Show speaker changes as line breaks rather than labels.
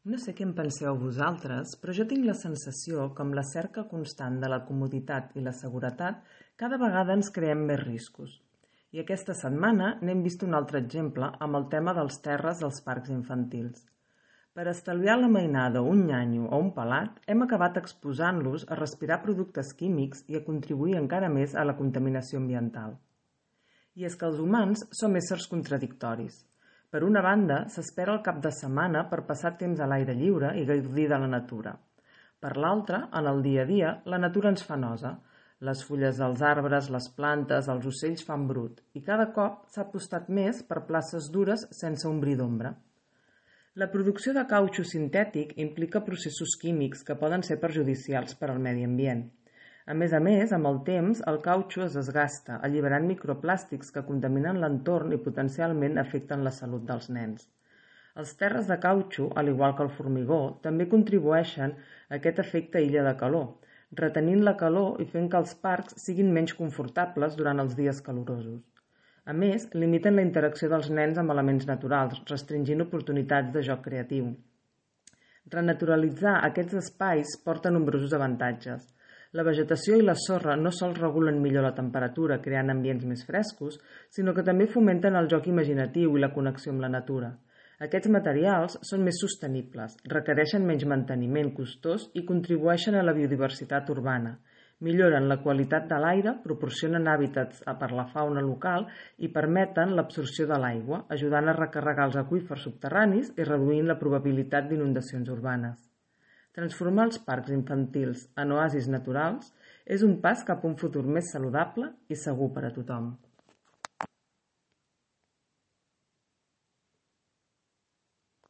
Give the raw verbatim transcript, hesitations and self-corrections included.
No sé què en penseu vosaltres, però jo tinc la sensació que amb la cerca constant de la comoditat i la seguretat cada vegada ens creem més riscos. I aquesta setmana n'hem vist un altre exemple amb el tema dels terres dels parcs infantils. Per estalviar la mainada un nyanyo o un pelat, hem acabat exposant-los a respirar productes químics i a contribuir encara més a la contaminació ambiental. I és que els humans som éssers contradictoris. Per una banda, s'espera el cap de setmana per passar temps a l'aire lliure i gaudir de la natura. Per l'altra, en el dia a dia, la natura ens fa nosa. Les fulles dels arbres, les plantes, els ocells fan brut, i cada cop s'ha apostat més per places dures sense ombrir d'ombra. La producció de cautxú sintètic implica processos químics que poden ser perjudicials per al medi ambient. A més a més, amb el temps, el cautxú es desgasta, alliberant microplàstics que contaminen l'entorn i potencialment afecten la salut dels nens. Els terres de cautxú, al igual que el formigó, també contribueixen a aquest efecte illa de calor, retenint la calor i fent que els parcs siguin menys confortables durant els dies calorosos. A més, limiten la interacció dels nens amb elements naturals, restringint oportunitats de joc creatiu. Renaturalitzar aquests espais porta nombrosos avantatges. La vegetació i la sorra no sols regulen millor la temperatura, creant ambients més frescos, sinó que també fomenten el joc imaginatiu i la connexió amb la natura. Aquests materials són més sostenibles, requereixen menys manteniment costós i contribueixen a la biodiversitat urbana. Milloren la qualitat de l'aire, proporcionen hàbitats per la fauna local i permeten l'absorció de l'aigua, ajudant a recarregar els aqüífers subterranis i reduint la probabilitat d'inundacions urbanes. Transformar els parcs infantils en oasis naturals és un pas cap a un futur més saludable i segur per a tothom.